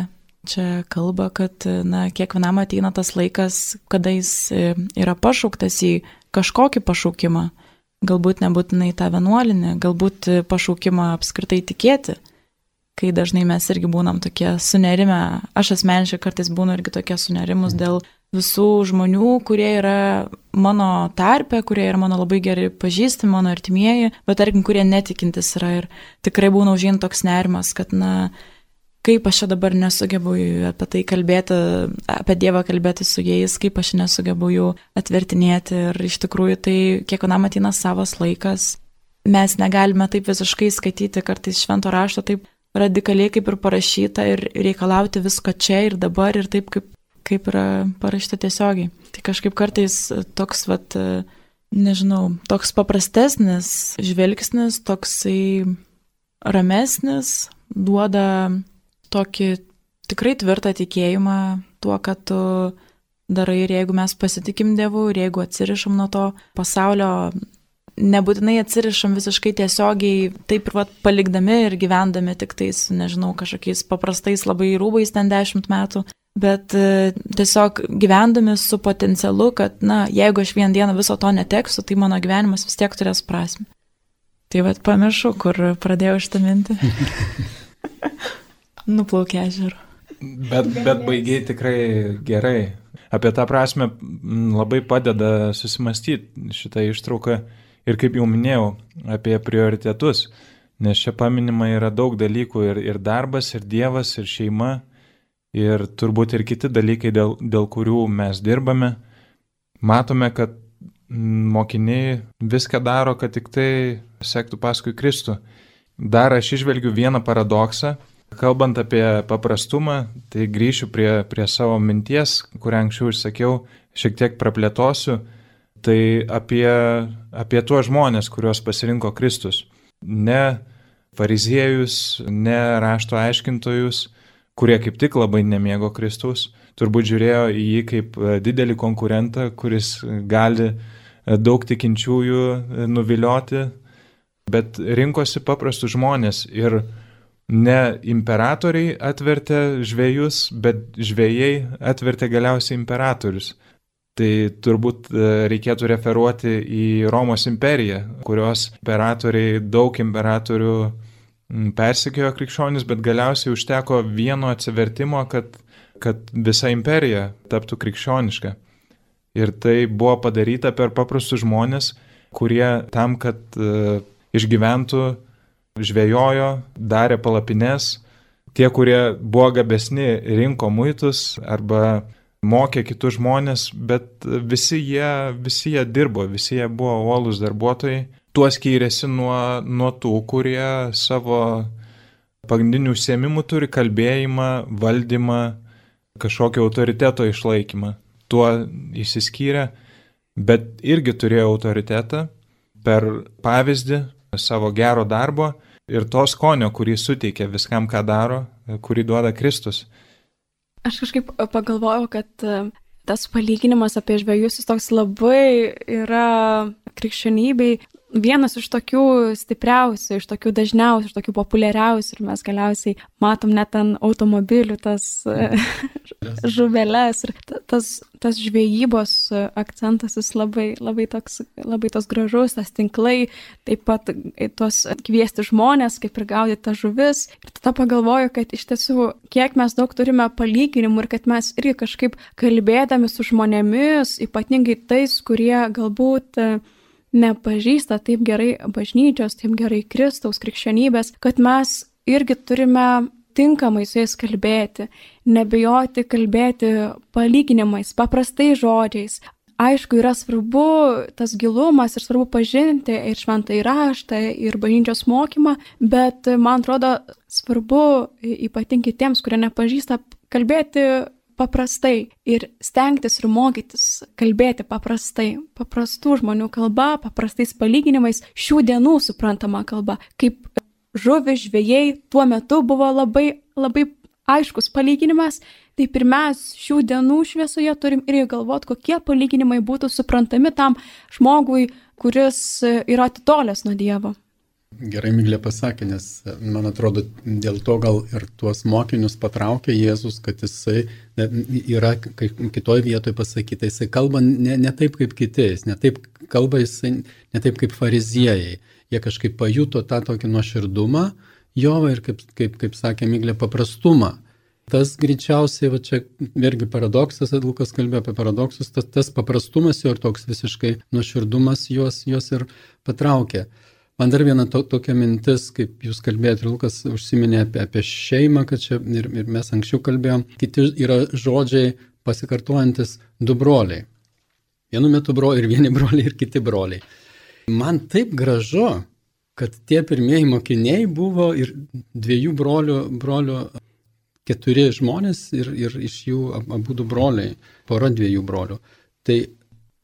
čia kalba, kad na, kiekvienam ateina tas laikas, kada jis yra pašauktas į kažkokį pašaukimą. Galbūt nebūtinai tą vienuolinį, galbūt pašaukimą apskritai tikėti, kai dažnai mes irgi būnam tokie sunerimę. Aš asmeniškai kartais būnu irgi tokie sunerimus dėl visų žmonių, kurie yra mano tarpe, kurie yra mano labai gerai pažįstami, mano artimieji, bet tarkim, kurie netikintis yra ir tikrai būna užėjant toks nerimas, kad na, kaip aš čia dabar nesugebu apie tai kalbėti, apie Dievą kalbėti su jais, kaip aš nesugebu jų atvertinėti ir iš tikrųjų tai kiekvienam ateina savas laikas. Mes negalime taip visiškai skaityti kartais švento rašto taip radikaliai kaip ir parašyta ir reikalauti visko čia ir dabar ir taip kaip kaip yra parašyta tiesiogiai. Tai kažkaip kartais toks, vat, nežinau, toks paprastesnis žvelgsnis, toksai ramesnis, duoda tokį tikrai tvirtą tikėjimą tuo, kad tu darai ir jeigu mes pasitikim Dievu ir jeigu atsirišam nuo to pasaulio, nebūtinai atsirišam visiškai tiesiogiai, taip ir vat, palikdami ir gyvendami tik tais, nežinau, kažkokiais paprastais labai rūbais ten dešimt metų, bet tiesiog gyvendami su potencialu, kad, na, jeigu aš vieną dieną viso to neteksiu, tai mano gyvenimas vis tiek turės prasmę. Tai vat pamiršau, kur pradėjau šitą mintį. Nuplaukė ežeru. Bet, bet baigiai tikrai gerai. Apie tą prasme labai padeda susimastyti šitą ištrauką ir, kaip jau minėjau, apie prioritetus, nes čia paminima yra daug dalykų ir, ir darbas, ir Dievas, ir šeima, ir turbūt ir kiti dalykai, dėl, dėl kurių mes dirbame. Matome, kad mokiniai viską daro, kad tik tai sektų paskui Kristų. Dar aš išvelgiu vieną paradoksą. Kalbant apie paprastumą, tai grįšiu prie, prie savo minties, kurią anksčiau išsakiau, šiek tiek praplėtosiu, tai apie, apie tuos žmonės, kuriuos pasirinko Kristus. Ne fariziejus, ne rašto aiškintojus, kurie kaip tik labai nemėgo Kristaus, turbūt žiūrėjo į jį kaip didelį konkurentą, kuris gali daug tikinčiųjų nuvilioti, bet rinkosi paprastus žmonės ir ne imperatoriai atvertė žvejus, bet žvejai atvertė galiausiai imperatorius. Tai turbūt reikėtų referuoti į Romos imperiją, kurios imperatoriai, daug imperatorių persekiojo krikščionis, bet galiausiai užteko vieno atsivertimo, kad, kad visa imperija taptų krikščioniška. Ir tai buvo padaryta per paprastus žmonės, kurie tam, kad uh, išgyventų, žvejojo, darė palapines, tie, kurie buvo gabesni, rinko muitus arba mokė kitus žmonės, bet visi jie, visi jie dirbo, visi jie buvo uolūs darbuotojai. Tuo skyrėsi nuo, nuo tų, kurie savo pagrindinių užsiėmimų turi kalbėjimą, valdymą, kažkokio autoriteto išlaikymą. Tuo išsiskyrė, bet irgi turėjo autoritetą per pavyzdį savo gero darbo ir to skonio, kurį suteikia viskam, ką daro, kurį duoda Kristus. Aš kažkaip pagalvojau, kad tas palyginimas apie žvejus, jis toks labai yra krikščionybei vienas iš tokių stipriausių, iš tokių dažniausių, iš tokių populiariausių ir mes galiausiai matom net ant automobilių tas žuveles ir tas, tas žvejybos akcentas jis labai, labai, toks, labai tos gražus, tas tinklai, taip pat tos kviesti žmonės, kaip ir gaudyti tas žuvis. Ir tada pagalvoju, kad iš tiesų, kiek mes daug turime palyginimų ir kad mes irgi kažkaip kalbėdami su žmonėmis, ypatingai tais, kurie galbūt nepažįsta taip gerai bažnyčios, taip gerai Kristaus, krikščionybės, kad mes irgi turime tinkamai su jais kalbėti, nebijoti kalbėti palyginimais, paprastai žodžiais. Aišku, yra svarbu tas gilumas ir svarbu pažinti ir šventąjį raštą, ir bažnyčios mokymą, bet man atrodo svarbu ypatingai tiems, kurie nepažįsta, kalbėti paprastai ir stengtis ir mokytis kalbėti paprastai, paprastų žmonių kalba, paprastais palyginimais, šių dienų suprantama kalba, kaip žuvis žvejai tuo metu buvo labai, labai aiškus palyginimas, taip ir mes šių dienų šviesoje turim irgi galvoti, kokie palyginimai būtų suprantami tam žmogui, kuris yra atitolęs nuo Dievo. Gerai Miglė pasakė, nes man atrodo dėl to gal ir tuos mokinius patraukė Jėzus, kad jisai yra kitoj vietoje pasakyta, jisai kalba ne, ne taip kaip kiti, jis ne taip kalba jisai ne taip kaip fariziejai. Jie kažkaip pajuto tą tokį nuoširdumą jo ir kaip, kaip, kaip sakė Miglė, paprastumą. Tas greičiausiai, va čia irgi paradoksas, Lukas kalbėjo apie paradoksus, tas, tas paprastumas jo ir toks visiškai nuoširdumas juos, juos ir patraukė. Man dar viena to, tokia mintis, kaip jūs kalbėjote, Lukas užsiminė apie, apie šeimą, kad čia ir, ir mes anksčiau kalbėjom, kiti yra žodžiai pasikartojantis du broliai. Vienu metu broliai ir vieni broliai ir kiti broliai. Man taip gražu, kad tie pirmieji mokiniai buvo ir dviejų brolių, brolių keturi žmonės ir, ir iš jų abu du broliai, pora dviejų brolių. Tai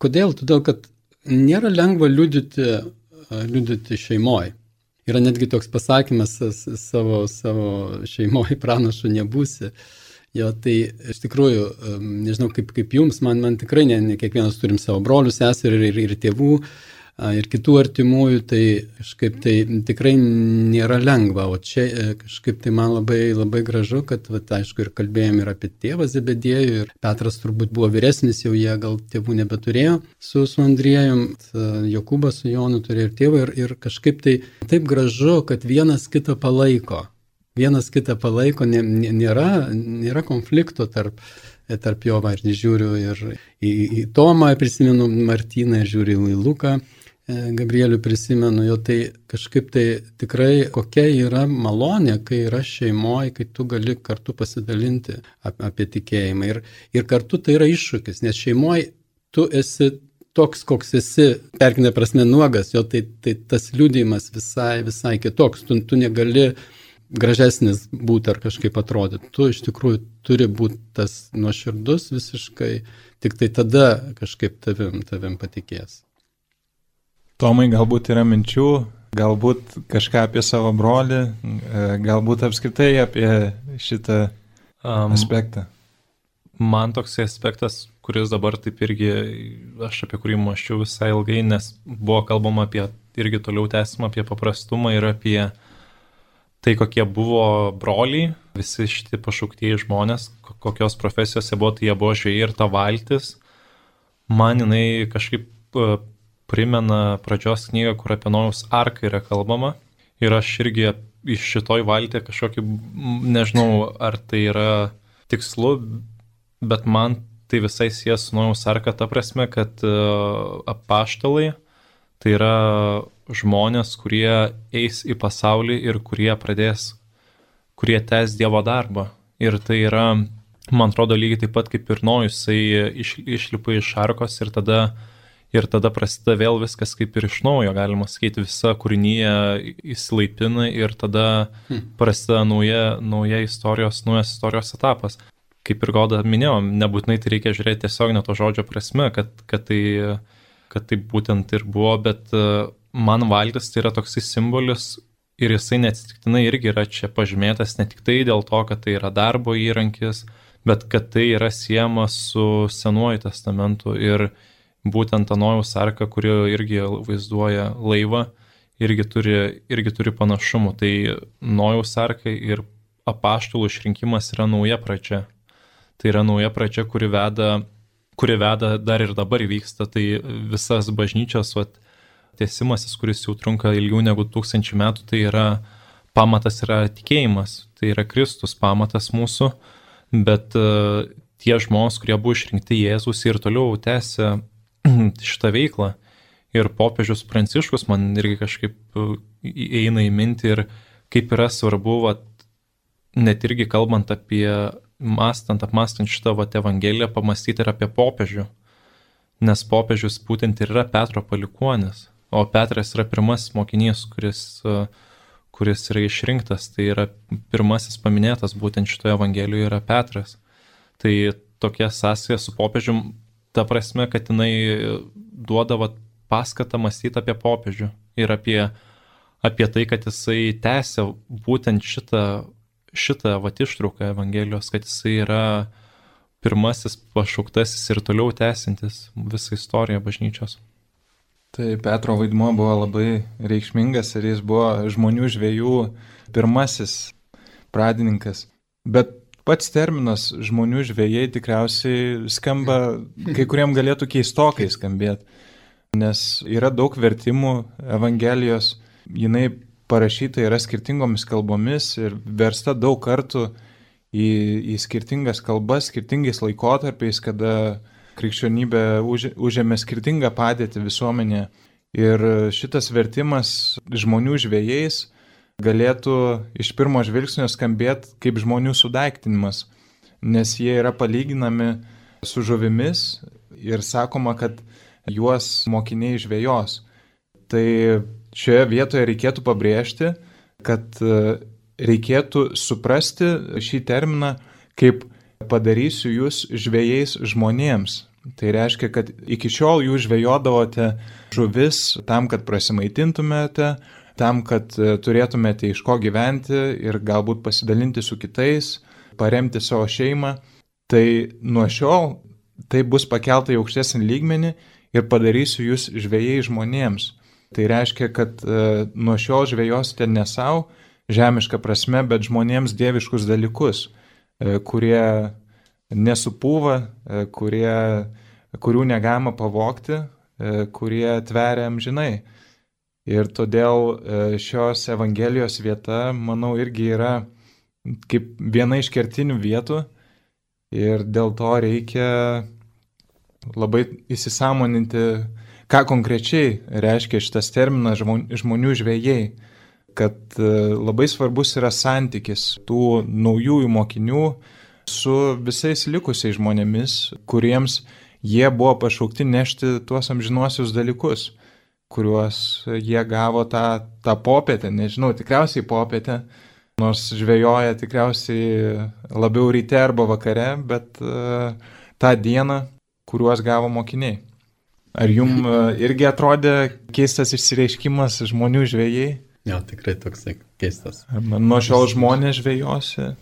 kodėl? Todėl, kad nėra lengva liudyti liudyti šeimoje. yra netgi toks pasakymas savo, savo šeimoje pranašu nebūsi. Jo, tai iš tikrųjų, nežinau kaip, kaip jums, man, man tikrai ne, ne kiekvienas turim savo brolių, seserį ir, ir tėvų, ir kitų artimųjų, tai kažkaip tai tikrai nėra lengva, o čia kažkaip tai man labai, labai gražu, kad, va, aišku, ir kalbėjom ir apie tėvą Zebediejų, ir Petras turbūt buvo vyresnis, jau jie gal tėvų nebeturėjo su, su Andriejum, Jokūbas su Jonu turėjo ir tėvą, ir, ir kažkaip tai taip gražu, kad vienas kitą palaiko, vienas kitą palaiko, nė, nėra, nėra konflikto tarp tarp jo, va, ir žiūriu ir į, į Tomą, prisimenu Martyną, ir žiūriu į Luką, Gabrielių prisimenu, jo tai kažkaip tai tikrai kokia yra malonė, kai yra šeimoje, kai tu gali kartu pasidalinti ap, apie tikėjimą. Ir, ir kartu tai yra iššūkis, nes šeimoje tu esi toks, koks esi, perkinė prasme nuogas, jo tai, tai tas liudijimas visai, visai kitoks, tu, tu negali gražesnis būti ar kažkaip atrodyti. Tu iš tikrųjų turi būti tas nuoširdus visiškai, tik tai tada kažkaip tavim, tavim patikės. Tomai, galbūt yra minčių, galbūt kažką apie savo brolį, galbūt apskritai apie šitą um, aspektą. Man toks aspektas, kuris dabar taip irgi, aš apie kurį mąsčiau visai ilgai, nes buvo kalbama apie, irgi toliau tęsimą apie paprastumą ir apie tai, kokie buvo broliai, visi šitie pašauktieji žmonės, kokios profesijos jie buvo, tai jie buvo žvejai ir ta valtis. Man jinai kažkaip primena pradžios knygą, kur apie Nojaus arką yra kalbama. Ir aš irgi iš šitoj valtė kažkokį, nežinau, ar tai yra tikslu, bet man tai visai siejas su Nojaus arka ta prasme, kad apaštalai tai yra žmonės, kurie eis į pasaulį ir kurie pradės, kurie tęs Dievo darbą. Ir tai yra, man atrodo, lygiai taip pat kaip ir Nojus, jisai iš, išlipa iš arkos ir tada Ir tada prasideda vėl viskas kaip ir iš naujo, galima sakyti, visa kūrinyje įsilaipina ir tada prasideda nauja, nauja istorijos, naujas istorijos etapas. Kaip ir Goda minėjau, nebūtinai tai reikia žiūrėti tiesiog ne to žodžio prasme, kad, kad, tai, kad tai būtent ir buvo, bet man valtis tai yra toksai simbolis ir jisai neatsitiktinai irgi yra čia pažymėtas ne tik tai dėl to, kad tai yra darbo įrankis, bet kad tai yra siejama su Senuoju testamentu ir būtent ta Nojaus arka, kuri irgi vaizduoja laivą, irgi turi, irgi turi panašumų. Tai Nojaus arka ir apaštalų išrinkimas yra nauja pradžia. Tai yra nauja pradžia, kuri veda, kuri veda dar ir dabar vyksta. Tai visas bažnyčios vat, tiesimasis, kuris jau trunka ilgiau negu tūkstančių metų, tai yra pamatas yra tikėjimas. Tai yra Kristus pamatas mūsų, bet uh, tie žmonės, kurie buvo išrinkti Jėzus ir toliau tęsia šitą veiklą. Ir popiežius Pranciškus man irgi kažkaip eina į mintį ir kaip yra svarbu, vat, net irgi kalbant apie, mastant, apmastant šitą vat, evangeliją, pamastyti ir apie popiežių. Nes popiežius būtent ir yra Petro palikuonis, o Petras yra pirmasis mokinys, kuris, kuris yra išrinktas. Tai yra pirmasis paminėtas būtent šitoje evangelijoje yra Petras. Tai tokia sąsaja su popiežium, ta prasme, kad jinai duoda vat, paskatą mąstyti apie popiežių ir apie, apie tai, kad jisai tęsia būtent šitą, šitą vat, ištrauką Evangelijos, kad jisai yra pirmasis pašauktasis ir toliau tęsintis visą istoriją bažnyčios. Tai Petro vaidmuo buvo labai reikšmingas ir jis buvo žmonių žvejų pirmasis pradininkas. Bet pats terminas žmonių žvejai tikriausiai skamba, kai kuriem galėtų keistokai skambėti, nes yra daug vertimų Evangelijos, jinai parašyta yra skirtingomis kalbomis ir versta daug kartų į, į skirtingas kalbas, skirtingais laikotarpiais, kada krikščionybė už, užėmė skirtingą padėtį visuomenėje. Ir šitas vertimas žmonių žvejais galėtų iš pirmo žvilgsnio skambėti kaip žmonių sudaiktinimas, nes jie yra palyginami su žuvimis ir sakoma, kad juos mokiniai žvejos. Tai šioje vietoje reikėtų pabrėžti, kad reikėtų suprasti šį terminą kaip padarysiu jūs žvejais žmonėms. Tai reiškia, kad iki šiol jūs žvejodavote žuvis tam, kad prasimaitintumėte, tam, kad turėtumėte iš ko gyventi ir galbūt pasidalinti su kitais, paremti savo šeimą, tai nuo šiol tai bus pakelta į aukštesnį lygmenį ir padarysiu jūs žvejai žmonėms. Tai reiškia, kad e, nuo šiol žvejosite ne savo žemišką prasme, bet žmonėms dieviškus dalykus, e, kurie nesupūva, e, kurie, kurių negalima pavogti, e, kurie tveria amžinai. Ir todėl šios Evangelijos vieta, manau, irgi yra kaip viena iš kertinių vietų ir dėl to reikia labai įsisąmoninti, ką konkrečiai reiškia šitas terminas žmonių žvejai, kad labai svarbus yra santykis tų naujųjų mokinių su visais likusiais žmonėmis, kuriems jie buvo pašaukti nešti tuos amžinuosius dalykus, kuriuos jie gavo tą, tą popietę, nežinau, tikriausiai popietę, nors žvejoja tikriausiai labiau ryte arba vakare, bet uh, tą dieną, kuriuos gavo mokiniai. Ar jum uh, irgi atrodė keistas išsireiškimas žmonių žvejai? Jo, tikrai toksai keistas. Nuo šiol žmonės žvejosi?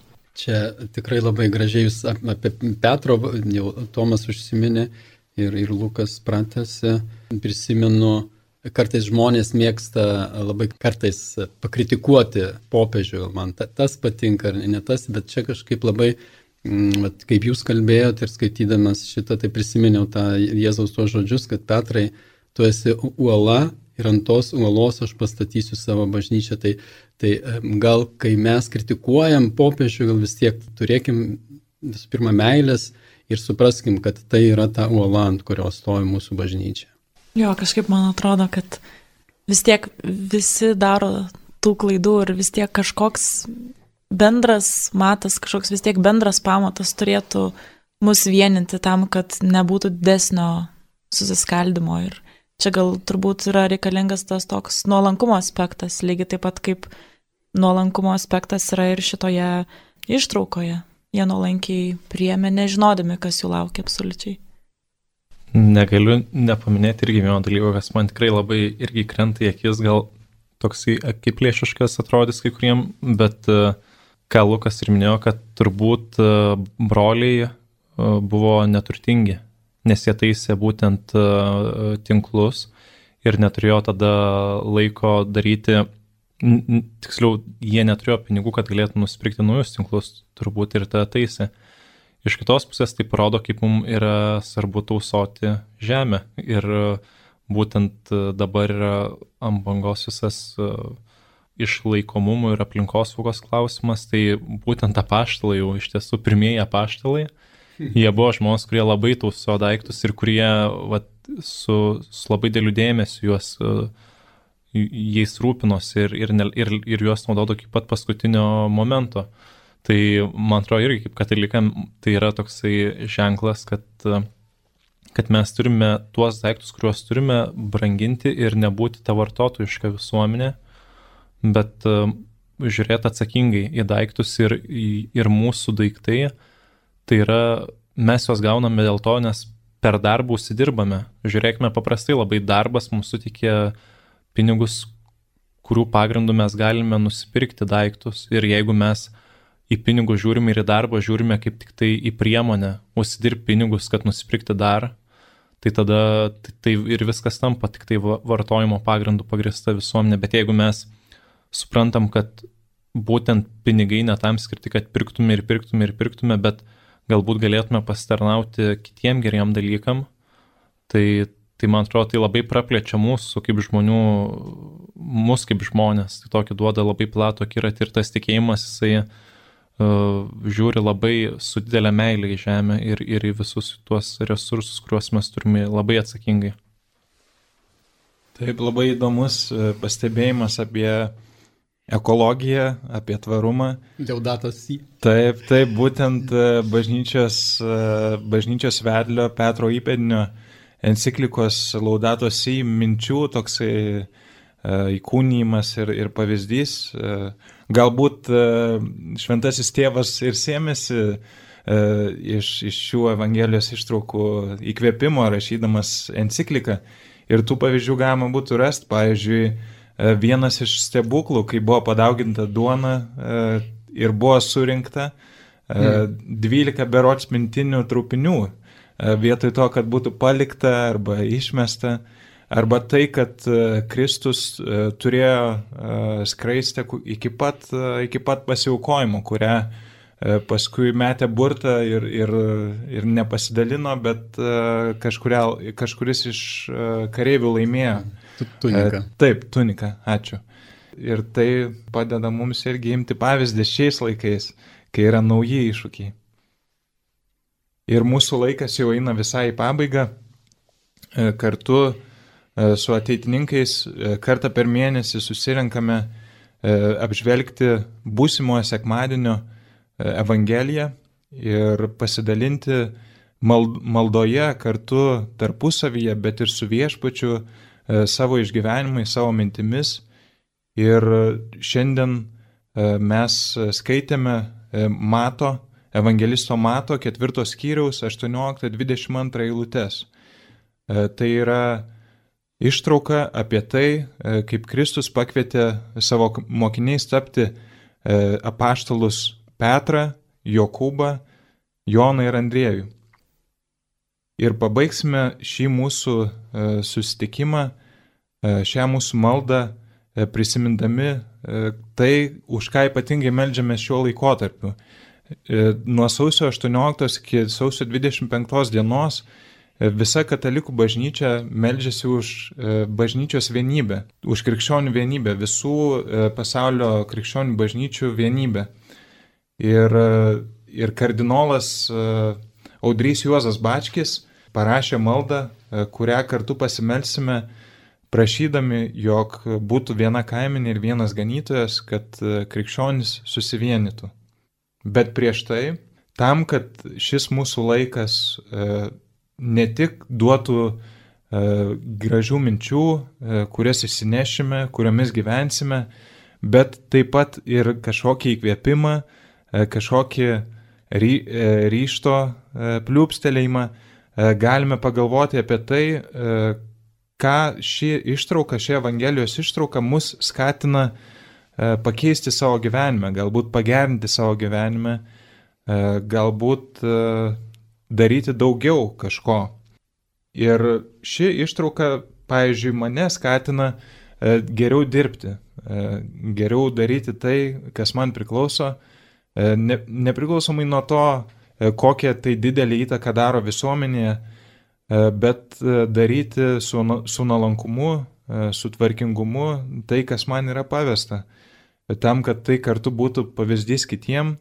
Čia tikrai labai gražiai jūs apie Petro, jau Tomas užsiminė ir, ir Lukas pratęsė, prisimenu, kartais žmonės mėgsta labai kartais pakritikuoti popiežių, man ta, tas patinka ar ne tas, bet čia kažkaip labai, m, kaip jūs kalbėjote ir skaitydamas šitą, tai prisiminiau tą Jėzaus tos žodžius, kad Petrai, tu esi uola ir ant tos uolos aš pastatysiu savo bažnyčią. Tai, tai gal kai mes kritikuojam popiežių, gal vis tiek turėkim visų pirma meilės ir supraskim, kad tai yra ta uola, ant kurios stovi mūsų bažnyčia. Jo, kažkaip man atrodo, kad vis tiek visi daro tų klaidų ir vis tiek kažkoks bendras matas, kažkoks vis tiek bendras pamatas turėtų mus vieninti tam, kad nebūtų didesnio susiskaldimo. Ir čia gal turbūt yra reikalingas tas toks nuolankumo aspektas, lygiai taip pat kaip nuolankumo aspektas yra ir šitoje ištraukoje. Jie nuolankiai priėmė, nežinodami, kas jų laukia absoliučiai. Negaliu nepaminėti irgi vieno dalyko, kas man tikrai labai irgi krenta į akis, gal toksai akiplėšiškas atrodys kai kuriem, bet ką Lukas ir minėjo, kad turbūt broliai buvo neturtingi, nes jie taisė būtent tinklus ir neturėjo tada laiko daryti, tiksliau, jie neturėjo pinigų, kad galėtų nusipirkti naujus tinklus, turbūt ir tą taisė. Iš kitos pusės tai parodo, kaip mums yra svarbu tausoti žemę ir būtent dabar yra ant bangos visas išlaikomumo ir aplinkosaugos klausimas, tai būtent apaštalai, jau iš tiesų pirmieji apaštalai, jie buvo žmonės, kurie labai tausojo daiktus ir kurie vat, su, su labai dėliu dėmesiu juos, jais rūpinosi ir, ir, ir, ir juos naudodo iki pat paskutinio momento. Tai man atrodo irgi kaip katalikam tai yra toksai ženklas, kad, kad mes turime tuos daiktus, kuriuos turime branginti ir nebūti ta vartotojiška visuomenė, bet žiūrėti atsakingai į daiktus ir, ir mūsų daiktai, tai yra mes juos gauname dėl to, nes per darbą užsidirbame. Žiūrėkime, paprastai labai darbas mums sutikė pinigus, kurių pagrindų mes galime nusipirkti daiktus ir jeigu mes į pinigus žiūrime ir į darbą žiūrime kaip tik tai į priemonę, užsidirbti pinigus, kad nusipirkti dar, tai tada tai, tai ir viskas tampa tik tai vartojimo pagrindų pagrįsta visuomenė. Bet jeigu mes suprantam, kad būtent pinigai ne tam skirti, kad pirktume ir pirktume ir pirktume, bet galbūt galėtume pasitarnauti kitiem geriem dalykam, tai, tai man atrodo, tai labai praplečia mūsų kaip žmonių, mus kaip žmonės, tai tokį duoda labai platų akiratį ir tas tikėjimas, jisai Uh, žiūri labai su didelė meilė į žemę ir, ir į visus tuos resursus, kuriuos mes turime labai atsakingai. Taip, labai įdomus pastebėjimas apie ekologiją, apie tvarumą. Laudato si. Taip, taip, būtent bažnyčios, bažnyčios vedlio Petro Įpėdinio enciklikos Laudato si minčių toksai įkūnijimas ir, ir pavyzdys. Galbūt šventasis tėvas ir sėmėsi iš, iš šių Evangelijos ištraukų įkvėpimo, rašydamas encikliką. Ir tų pavyzdžių galima būtų rasti. Pavyzdžiui, vienas iš stebuklų, kai buvo padauginta duona ir buvo surinkta dvylika berods mintinių trupinių, vietoj to, kad būtų palikta arba išmesta, arba tai, kad Kristus turėjo skraistę iki pat, iki pat pasiaukojimo, kurią paskui metė burtą ir, ir, ir nepasidalino, bet kažkuria, kažkuris iš kareivių laimėjo. Tunika. Taip, tunika, ačiū. Ir tai padeda mums irgi imti pavyzdį šiais laikais, kai yra nauji iššūkiai. Ir mūsų laikas jau eina visai į pabaigą. Kartu su ateitininkais kartą per mėnesį susirenkame apžvelgti būsimojo sekmadienio Evangeliją ir pasidalinti maldoje kartu tarpusavyje, bet ir su viešpačiu savo išgyvenimais, savo mintimis. Ir šiandien mes skaitėme Mato, evangelisto Mato ketvirtos skyriaus aštuonioliktą dvidešimt antrą eilutes. Tai yra ištrauka apie tai, kaip Kristus pakvietė savo mokiniais tapti apaštalus Petrą, Jokūbą, Joną ir Andriejų. Ir pabaigsime šį mūsų susitikimą, šią mūsų maldą prisimindami tai, už ką ypatingai meldžiame šiuo laikotarpiu. Nuo sausio aštuonioliktos iki sausio dvidešimt penktos dienos visa katalikų bažnyčia meldžiasi už bažnyčios vienybę, už krikščionių vienybę, visų pasaulio krikščionių bažnyčių vienybę. Ir, ir kardinolas Audrys Juozas Bačkis parašė maldą, kurią kartu pasimelsime, prašydami, jog būtų viena kaimenė ir vienas ganytojas, kad krikščionys susivienytų. Bet prieš tai, tam, kad šis mūsų laikas ne tik duotų gražių minčių, kurias išsinešime, kuriomis gyvensime, bet taip pat ir kažkokį įkvėpimą, kažkokį ry, ryšto pliūpstelėjimą, galime pagalvoti apie tai, ką ši ištrauka, ši Evangelijos ištrauka mus skatina pakeisti savo gyvenime, galbūt pagerinti savo gyvenime, galbūt daryti daugiau kažko. Ir ši ištrauka, pavyzdžiui, mane skatina geriau dirbti, geriau daryti tai, kas man priklauso, ne, nepriklausomai nuo to, kokią tai didelį įtaką daro visuomenėje, bet daryti su, su nuolankumu, su tvarkingumu tai, kas man yra pavesta. Tam, kad tai kartu būtų pavyzdys kitiem,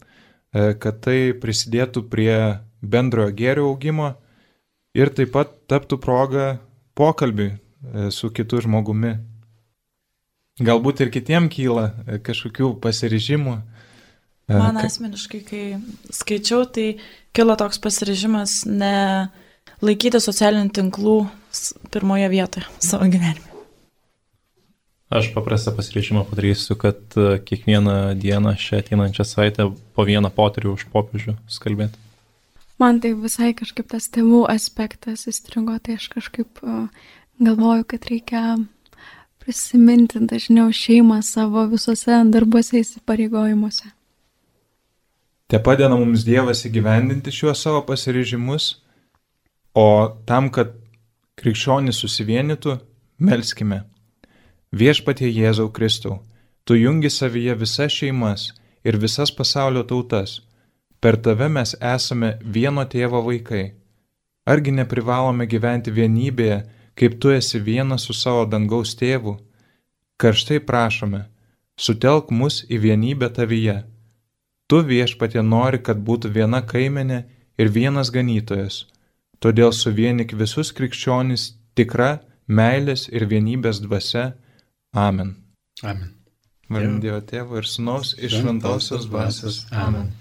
kad tai prisidėtų prie bendrojo gėrio augimo ir taip pat taptų proga pokalbiui su kitu žmogumi. Galbūt ir kitiem kyla kažkokių pasiryžimų. Man asmeniškai, kai skaičiau, tai kilo toks pasiryžimas ne laikyti socialinių tinklų pirmoje vietoje savo gyvenime. Aš paprastą pasiryžimą padarysiu, kad kiekvieną dieną šią ateinančią savaitę po vieną poterių už popiežių skalbėti. Man tai visai kažkaip tas tėvų aspektas įstringo, tai aš kažkaip uh, galvoju, kad reikia prisiminti dažniau šeimą savo visose darbuose įsipareigojimuose. Te padeda mums Dievas įgyvendinti šiuos savo pasiryžimus, o tam, kad krikščionys susivienytų, melskime. Viešpatie Jėzau Kristau, tu jungi savyje visas šeimas ir visas pasaulio tautas. Per tave mes esame vieno tėvo vaikai. Argi neprivalome gyventi vienybėje, kaip tu esi vienas su savo dangaus tėvu? Karštai prašome, sutelk mus į vienybę tavyje. Tu, Viešpatie, nori, kad būtų viena kaimenė ir vienas ganytojas. Todėl suvienik visus krikščionis tikra meilės ir vienybės dvasia. Amen. Amen. Vardant Dievo Tėvo ir Sūnaus ir Šventosios dvasios. Amen.